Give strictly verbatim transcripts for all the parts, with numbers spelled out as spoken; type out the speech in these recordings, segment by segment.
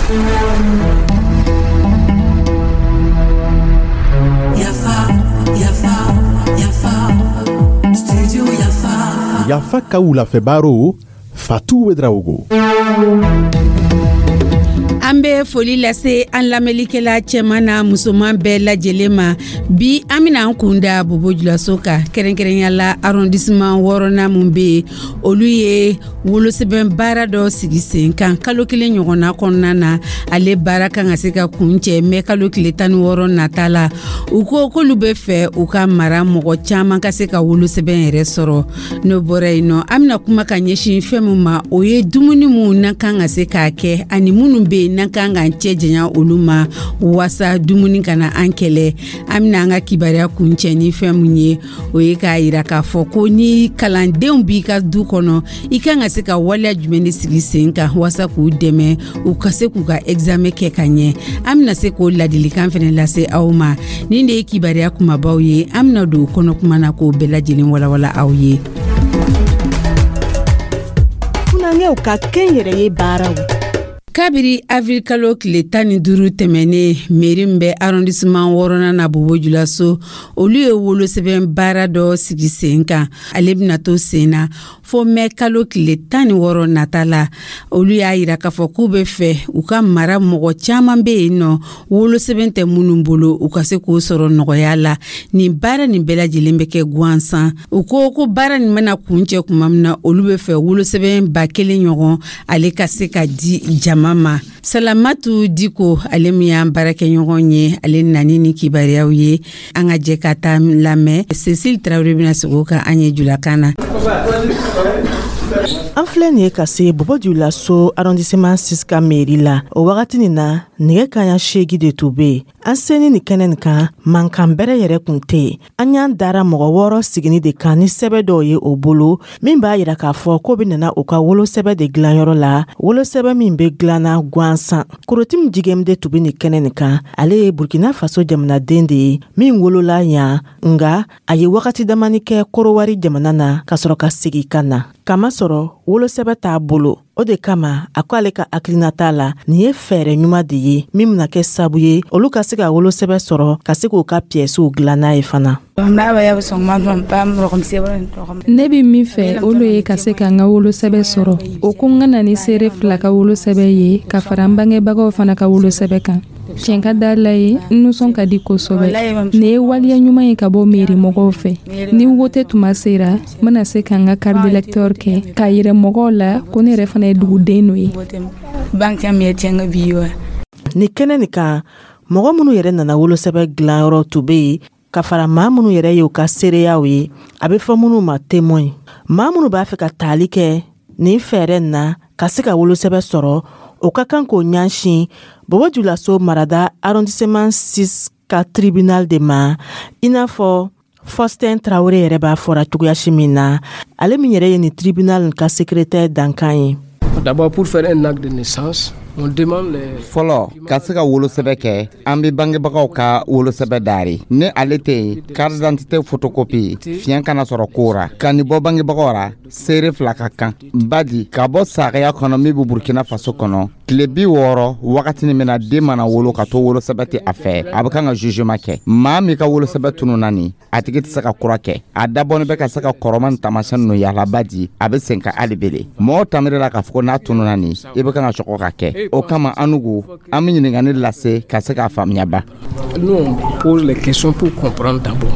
Yafa, Yafa, Yafa, Studio Yafa. Yafa ka wulafɛ Fatou Ouédraogo. An bɛ foli lase an lamɛnlikɛla cɛman na musoman bɛɛ lajɛlen ma. Bi, an bɛna an kun da Bobo Julaso kan, kɛrɛnkɛrɛnya la arrondissement wɔɔrɔnan mun bɛ yen, olu ye wolosɛbɛn baara dɔ sigi sen kan kalo kelen ɲɔgɔnna kɔnɔna na. Ale baara kan ka se ka kun cɛ mɛ kalo tile tan ni wɔɔrɔ nata la. U ko k'olu bɛ fɛ u ka mara mɔgɔ caman ka se ka wolosɛbɛn yɛrɛ sɔrɔ. N'o bɔra yen nɔ, an bɛna kuma ka ɲɛsin fɛn min ma, o ye dumuni mun n'an kan ka se k'a kɛ ani minnu bɛ yen n'an kan k'an cɛ janya olu ma waasa dumuni kana an kɛlɛ. An bɛna an ka kibaruya kuncɛ ni fɛn mun ye, o ye k'a yira k'a fɔ ko ni kalandenw b'i ka du kɔnɔ, i kan ka se ka waleya jumɛn de sigi sen kan waasa k'u dɛmɛ u ka se k'u ka examen kɛ ka ɲɛ. An bɛna se k'o ladilikan fɛnɛ lase aw ma. Nin de ye kibaruya kumabaw ye. An bɛna don kɔnɔ kuma na k'o bɛɛ lajɛlen walawala aw ye. Funankɛw ka kɛnyɛrɛye baaraw. Kabiri avril kalo tile tan ni duuru tɛmɛnen, mairie min bɛ arrondissement wɔɔrɔnan na Bobo Julaso, olu ye wolosɛbɛn baara dɔ sigi sen kan. Ale bɛna to sen na fo mɛ kalo tile tan ni wɔɔrɔ nata la. Olu y'a yira k'a fɔ k'u bɛ fɛ u ka mara mɔgɔ caman bɛ yen nɔ, wolosɛbɛn tɛ minnu bolo, u ka se k'o sɔrɔ nɔgɔya la. Nin baara nin bɛɛ lajɛlen bɛ kɛ gansan. U ko ko baara nin bɛna kuncɛ tuma min na, olu bɛ fɛ wolosɛbɛn ba kelen ɲɔgɔn ale ka se ka di jama ma. Salamatu Diko, ale min y'an baarakɛɲɔgɔn ye, ale nani ni kibaruyaw ye. An ka jɛ ka taa lamɛn. Cecile Tarawele bɛna sigi o kan an ye julakan na. An filɛ nin ye ka se Bobo Julaso arrondissement six ka mairie la. O wagati nin na, nɛgɛ kaɲa seegi de tun be yen. An seni nin kɛnɛ nin kan, mankan bɛrɛ yɛrɛ kun tɛ yen. An y'an dara mɔgɔ wɔɔrɔ sigini de kan ni sɛbɛ dɔw ye o bolo min b'a yira k'a fɔ ko be nana u ka wolosɛbɛ de dilanyɔrɔ la, wolosɛbɛ min be dilanna gansan. Korotim Jigem de tun be nin kɛnɛ nin kan. Ale ye Burkina Faso jamanaden de ye min wolola yan, nga a ye wagati damani kɛ Korowari jamana na ka sɔrɔ ka segi ka na, kamasɔrɔ wolosɛbɛ t'a bolo. O de kama a ko ale ka hakilinata la, nin ye fɛɛrɛ ɲuman de ye min bena kɛ sabu ye olu ka se ka wolosɛbɛ sɔrɔ, ka se k'u ka piyɛsiw dilan n'a ye fana. Ne bɛ min fɛ, o lo ye ka se ka n ka wolosɛbɛ sɔrɔ. O ko n ka na ni seere fila ka wolosɛbɛ ye ka fara n bangebagaw fana ka wolosɛbɛ kan. Tiɲɛ ka da la ye, n nisɔn ka di kosɛbɛ. Nin ye waleya ɲuman ye ka bɔ mairie mɔgɔw fɛ. Ni wote tuma sera, n bɛna se ka n ka carte d'électeur kɛ k'a yira mɔgɔw la ko ne yɛrɛ fana ye duguden dɔ ye. Nin kɛnɛ nin kan, mɔgɔ minnu yɛrɛ nana wolosɛbɛ dilanyɔrɔ tun be yen ka fara maa minnu yɛrɛ ye u ka seereyaw ye, a bɛ fɔ minnu ma témoin. Maa minnu b'a fɛ ka taali kɛ nin fɛɛrɛ nin na ka se ka wolosɛbɛ sɔrɔ, o ka kan k'o ɲɛsin Bobo Julaso marada arrondissement six ka tribunal de ma, i n'a fɔ Faustin Traoré yɛrɛ b'a fɔra cogoyasi min na, ale min yɛrɛ ye nin tribunal ka secrétaire dankan ye. D'abord, pour faire un acte de naissance, on demande les Fɔlɔ, ka se ka wolosɛbɛ kɛ, an be bangebagaw ka wolosɛbɛ dari. Ni ale tɛ yen, carte d'identité photocopie. Fiɲɛ kana sɔrɔ ko ra ka nin bɔ bangebagaw ra, seere fila ka kan badi ka bɔ sagaya kɔnɔ min be Burkina Faso kɔnɔ. Tile bi wɔɔrɔ wagatini min na den mana wolo ka to wolosɛbɛ tɛ a fɛ, a be kan ka jugement kɛ. Maa min ka wolosɛbɛ tununa nin, a tigi tɛ se ka kura kɛ. A dabɔni bɛ ka se ka kɔrɔma ni taamasiyɛn ninnu yala badi a be sen ka hali bele mɔgɔw tamiri la k'a fɔ ko n'a tununa nin, i be kan ka sɔgɔ ka kɛ. O kama an nugu an be ɲiningani lase ka se k'a faamuya ba. Nous, on pose les questions pour comprendre d'abord.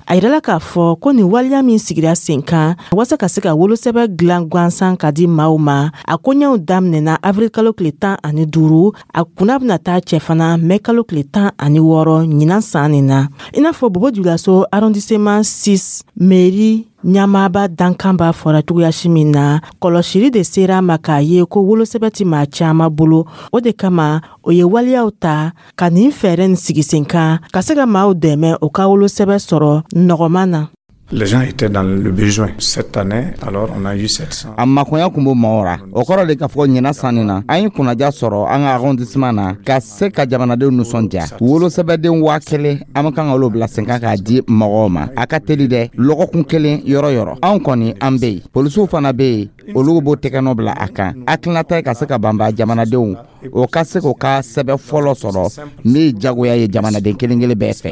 A yirala k'a fɔ ko nin waleya min sigira sen kan waasa ka se ka wolosɛbɛ dilan gansan ka di maaw ma, a koɲɛw daminɛna avril kalo tile tan ani duuru, a kunna bena taa cɛ fana mɛ kalo tile tan ani wɔɔrɔ ɲinan san nin na. I n'a fɔ Bobo Julaso arrondissement six mairie ɲamaaba dankan b'a fɔra cogoyasi min na, kɔlɔsili de sera a ma k'a ye ko wolosɛbɛ ti maa caaman bolo. O de kama o ye waleyaw ta ka nin fɛɛrɛ nin sigi sen kan ka se ka maaw dɛmɛ o ka wolosɛbɛ sɔrɔ nɔgɔman na. Les gens étaient dans le besoin. Cette année, alors on a eu sept cents. A makoya kun b'o maaw ra. O kɔrɔ de k'a fɔ ɲina sanni na, an ye kunnaja sɔrɔ an ka arrondissement na ka se ka jamanadenw nisɔndiya. Wolosɛbɛden waa kelen, an be kan ka olu bila sen kan k'a di mɔgɔw ma. A ka teli dɛ, lɔgɔkun kelen yɔrɔ yɔrɔ. Anw kɔni an be yen, polisiw fana be yen, olu b'o tɛgɛnɔ bila a kan. Hakilinata ye ka se ka banba jamanadenw O ka se k'o ka sɛbɛn fɔlɔ sɔrɔ min ye jagoya ye jamanaden kelen kelen bɛɛ fɛ.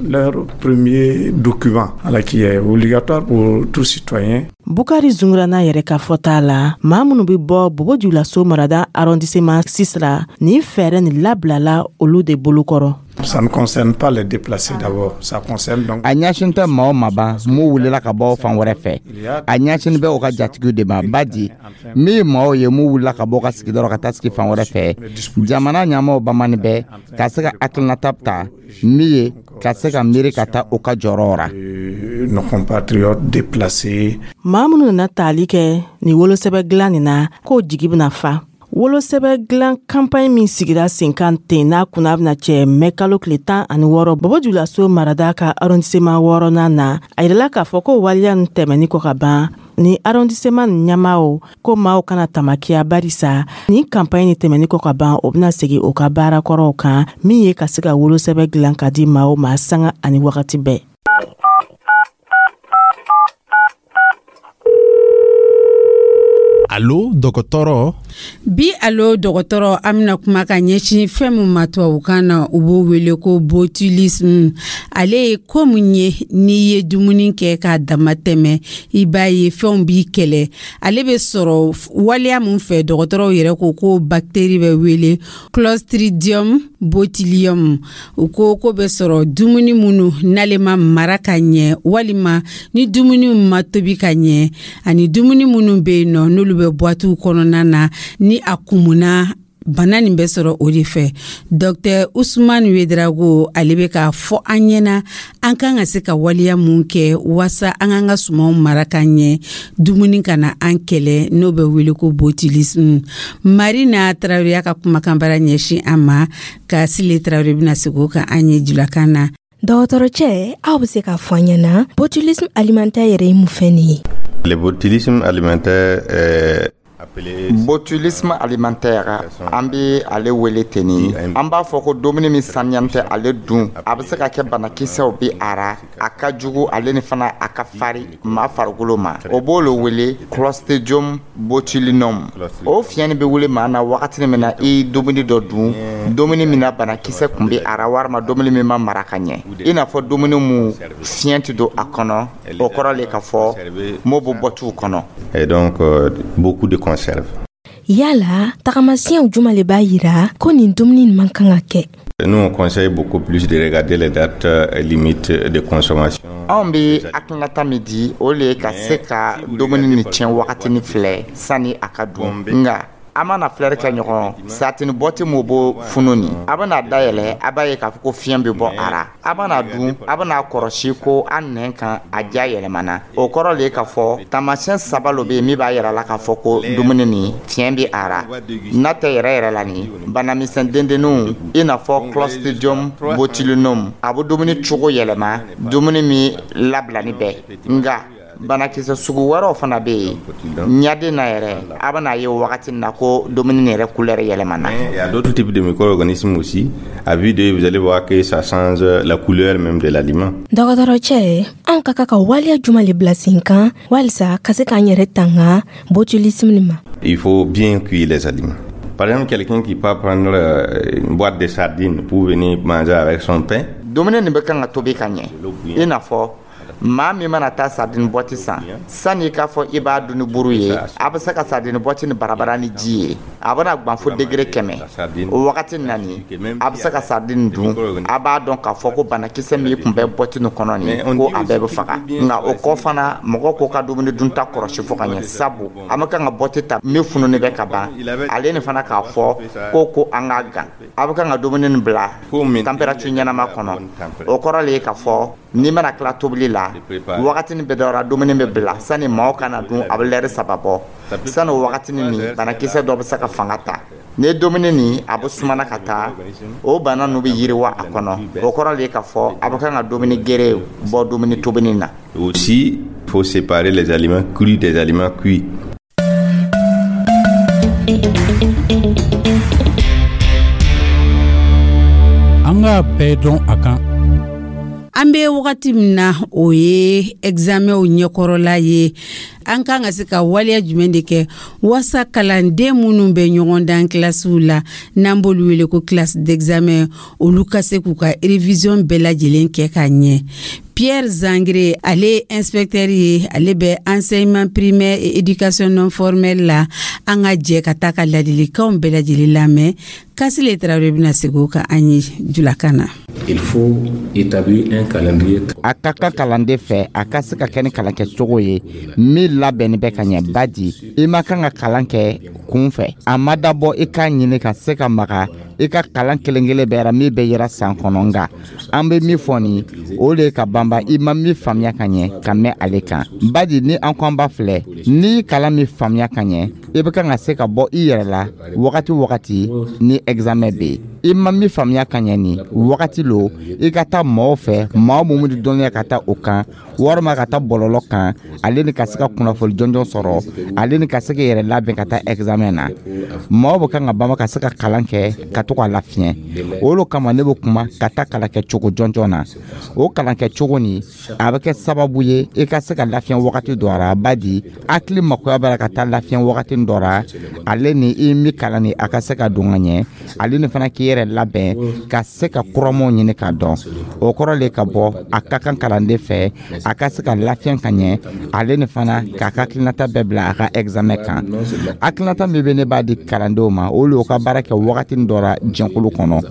Leur premier document, alors, qui est obligatoire pour tout citoyen. Bukari Zungurana yɛrɛ ka fɔta la, maa minnu be bɔ Bobo Julaso marada arrondissement six la, nin fɛɛrɛ nin labilala olu de bolokɔrɔ. Ça ne concerne pas les déplacés d'abord, ça concerne donc A ɲɛsin tɛ maa o ma ban mun wulila ka bɔ fan wɛrɛ fɛ, a ɲɛsin bɛ o ka jatigiw de ma. Badi min ye maaw ye mun wulila ka bɔ ka sigida rɔ ka taa sigi fan wɛrɛ fɛ, jamana ɲɛmaw bamani bɛ ka se ka hakilinata ta min ye ka se ka miiri ka taa o ka jɔyɔrɔ ra. euh, nos compatriotes déplacés. Maa minnu nana taali kɛ nin wolosɛbɛ dilan nin na, k'o jigi bena fa. Wolosɛbɛ dilan kanpaɲi min sigira sen kan ten, n'a kunna bena cɛ mɛ kalo tile tan ani wɔɔrɔ, Bobo Julaso marada ka arrondissement wɔɔrɔnan na, a yirala k'a fɔ ko waleya nin tɛmɛni kɔ ka ban, ni arrondissement nin ɲɛmaw ko maaw kana tamakiya, barisa ni kanpaɲi ni tɛmɛni kɔ ka ban, o bena segi o ka baarakɔrɔw kan, min ye ka se ka wolosɛbɛ dilan ka di maaw ma sanga ani wagati bɛɛ. Alo dɔgɔtɔrɔ. Bi alo dɔgɔtɔrɔ, an bɛna kuma ka ɲɛsin fɛn min ma tubabukan na u b'o wele ko botulisme. Ale ye ko mun ye? N'i ye dumuni kɛ k'a dama tɛmɛ, i b'a ye fɛnw b'i kɛlɛ. Ale bɛ sɔrɔ waleya mun fɛ? Dɔgɔtɔrɔw yɛrɛ ko ko bakiteri bɛ wele Clostridium botulinum. U ko ko bɛ sɔrɔ dumuni minnu n'ale ma mara ka ɲɛ, walima ni dumuni ma tobi ka ɲɛ, ani dumuni minnu bɛ yen nɔ n'olu bɛ boîtew kɔnɔna na, ni a kumuna, bana nin bɛ sɔrɔ o de fɛ. Dr Usman Wedrago, ale bɛ k'a fɔ an ɲɛna an kan ka se ka waleya mun kɛ waasa an k'an ka sumanw mara ka ɲɛ, dumuni kana an kɛlɛ, n'o bɛ wele ko botulisme. Marina Tarawele ka kumakanbara ɲɛsin an ma ka Sile Tarawele bɛna segin o kan an ye julakan na. Dɔgɔtɔrɔcɛ, aw bɛ se k'a fɔ an ɲɛna, botulisme alimentaire yɛrɛ ye mun fɛn nin ye? Le botulisme alimentaire est appelé Botulisme alimentaire, an bɛ ale wele ten. Ni an b'a fɔ ko dumuni min saniyani tɛ, ale dun a bɛ se ka kɛ banakisɛw bɛ a ra. A ka jugu ale ni fana a ka fari maa farikolo ma. O b'o le wele Clostridium botulinum. O fiɲɛ nin bɛ wele maa na wagati min na i ye dumuni dɔ dun, dumuni min na banakisɛ tun bɛ a ra, walima dumuni min ma mara ka ɲɛ, i n'a fɔ dumuni mun fiɲɛ tɛ don a kɔnɔ. O kɔrɔ le k'a fɔ m'o bɛ bɔtiw kɔnɔ. Et donc euh, beaucoup de conserves. Yala tagamasiyɛnw juma le b'a yira ko nin dumuni nin man kan ka kɛ? Nous, on conseille beaucoup plus de regarder les dates euh, limites de consommation. Anw bɛ hakilinata min di, o le ye ka se ka dumuni ni tiɲɛ wagatini filɛ sani a ka dun. Nka an mana filɛri kɛ ɲɔgɔn satini bɔti mun b'o funu nin, a bɛna dayɛlɛ, a b'a ye k'a fɔ ko fiɲɛ bɛ bɔ a ra. A bɛna dun, a bɛna kɔrɔsi ko an nɛn kan a ja yɛlɛmana. O kɔrɔ le ye k'a fɔ taamasiyɛn saba lo bɛ yen min b'a yira la k'a fɔ ko dumuni nin fiɲɛ bɛ a ra. N'a tɛ yɛrɛ yɛrɛ la, nin banamisɛn dendenninw, i n'a fɔ Clostridium botulinum, a bɛ dumuni cogo yɛlɛma, dumuni min labilani bɛɛ. Nka banakisɛ sugu wɛrɛw fana bɛ yen ɲaden na yɛrɛ, a bɛna ye wagati min na ko dumuni nin yɛrɛ couleur yɛlɛmana. Il y a d'autres types de micro-organismes aussi. À vue d'œil, vous allez voir que ça change la couleur même de l'aliment. Dɔgɔtɔrɔcɛ, anw ka kan ka waleya juma le bila sen kan walisa ka se k'an yɛrɛ tanga botulisme nin ma? Il faut bien cuire les aliments. Par exemple, quelqu'un qui peut prendre euh, une boîte de sardines pour venir manger avec son pain, Dumuni nin bɛ kan ka tobi ka ɲɛ, i n'a fɔ maa min mana taa sardine boîte san, sani i k'a fɔ i b'a dun ni buru ye, a bɛ se ka sardine boîte ni barabara ni ji ye, a bɛna gan fo degré kɛmɛ. O wagati nani, a bɛ se ka sardine dun, a b'a dɔn k'a fɔ ko banakisɛ min tun bɛ boîte nin kɔnɔ nin, ko a bɛɛ bɛ faga. Nka o kɔ fana, mɔgɔ k'o ka dumuni dunta kɔlɔsi fo ka ɲɛ, sabu an bɛ kan ka boîte ta min fununen bɛ ka ban, ale ni fana k'a fɔ ko ko an k'a gan. A bɛ kan ka dumuni nin bila température ɲɛnama kɔnɔ. O kɔrɔ le ye k'a fɔ n'i mana tila tobili la, wagatini bɛɛ dɔra dumuni bɛ bila sani maaw kana dun, a bɛ lɛri saba bɔ. Sani o wagatini nin, banakisɛ dɔ bɛ se ka fanga ta. Ni ye dumuni nin a bɛ sumana ka taa, o bana ninnu bɛ yiriwa a kɔnɔ. O kɔrɔ le ye k'a fɔ a bɛ kan ka dumuni gere bɔ dumuni tobili na. Aussi, il faut séparer les aliments crus des aliments cuits. An k'a bɛɛ dɔn a kan. An bɛ wagati min na, o ye examenw ɲɛkɔrɔla ye. An kan ka se ka waleya jumɛn de kɛ waasa kalanden minnu bɛ ɲɔgɔn dan kilasiw la, n'an b'olu wele ko classe d'examen, olu ka se k'u ka révision bɛɛ lajɛlen kɛ ka ɲɛ? Pierre Zangre, ale ye inspecteur ye, ale bɛ enseignement primaire et éducation non formelle la. An ka jɛ ka taa ka ladilikanw bɛɛ lajɛlen lamɛn. Kasile Tarawele bɛna segin o kan an ye julakan na. Il faut établir un calendrier. A ka kan kalanden fɛ, a ka se ka kɛ ni kalankɛcogo ye min labɛnni bɛ ka ɲɛ, badi i ma kan ka kalan kɛ kun fɛ. A ma dabɔ i k'a ɲini ka se ka maga i ka kalan kelen kelen bɛɛ ra min bɛ yira san kɔnɔ. Nka an bɛ min fɔ nin, o de ye ka banba i ma min faamuya ka ɲɛ ka mɛn ale kan, badi ni an ko an b'a filɛ, n'i kalan min faamuya ka ɲɛ, i bɛ kan ka se ka bɔ i yɛrɛ la wagati wagati ni examen bɛ yen. I ma min faamuya ka ɲɛ nin wagati lo, i ka taa maaw fɛ, maa mun bɛ dɔnniya ka taa o kan, walima ka taa bɔlɔlɔ kan, ale ni ka se ka kunnafoni jɔnjɔn sɔrɔ, ale ni ka se k'i yɛrɛ labɛn ka taa examen na. Maaw bɛ kan ka banba ka se ka kalan kɛ ka to k'a lafiɲɛ. O de kama ne bɛ kuma ka taa kalan kɛ cogo jɔnjɔn na. O kalan kɛ cogo nin, a bɛ kɛ sababu ye i ka se ka lafiɲɛ wagati dɔ ra, badi hakili makoya b'a la ka taa lafiɲɛ wagati dɔ ra, ale ni i mi kalan ni a ka se ka don ka ɲɛ, ale ni fana k'i yɛrɛ labɛn ka se ka kuramanw ɲini k'a dɔn. O kɔrɔ le ka bɔ a ka kan kalanden fɛ, a ka se ka lafiɲɛ ka ɲɛ, ale ni fana k'a ka hakilinata bɛɛ bila a ka examen kan. Hakilinata min bɛ ne b'a di kalandenw ma, o le y'u ka baara kɛ wagati dɔ ra jɛnkulu kɔnɔ.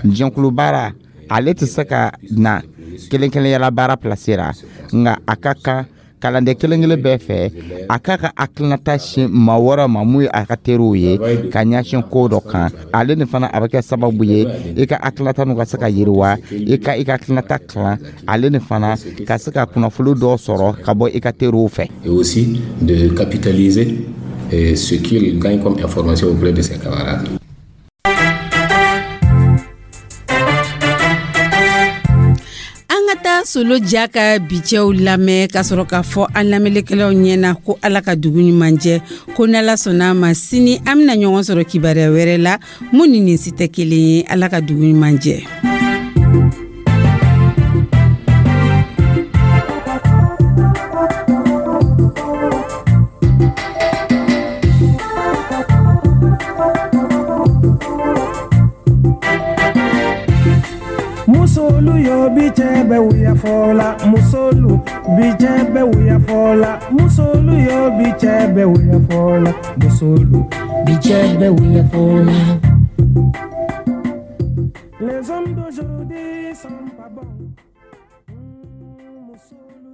Jɛnkulu baara, ale tɛ se ka na kelen kelenyala baara place ra, nka a ka kan kalanden kelen kelen bɛɛ fɛ, a k'a ka hakilinata sin maa wɛrɛ ma mun ye a ka teriw ye ka ɲɛsin ko dɔ kan. Ale ni fana a bɛ kɛ sababu ye i ka hakilinata n'u ka se ka yiriwa, i ka i ka hakilinata kalan, ale ni fana ka se ka kunnafoni dɔw sɔrɔ ka bɔ i ka teriw fɛ. Et aussi de capitaliser ce qu'il gagne comme information auprès de ses camarades. Solo ja ka bicɛw lamɛn ka sɔrɔ k'a fɔ an lamɛnlikɛlaw ɲɛna ko Ala ka dugu ɲuman jɛ, ko n'Ala sɔnna a ma, sini an bɛna ɲɔgɔn sɔrɔ kibaruya wɛrɛ la mun ni nin si tɛ kelen ye. Ala ka dugu ɲuman jɛ. Musolu yo bi cɛ bɛ wuya fɔ la, musolu bi cɛ bɛ wuya fɔ la, musolu yo bi cɛ bɛ wuya fɔ la, musolu bi cɛ bɛ wuya fɔ la. Les hommes d'aujourd'hui sont pas bons. Musolu.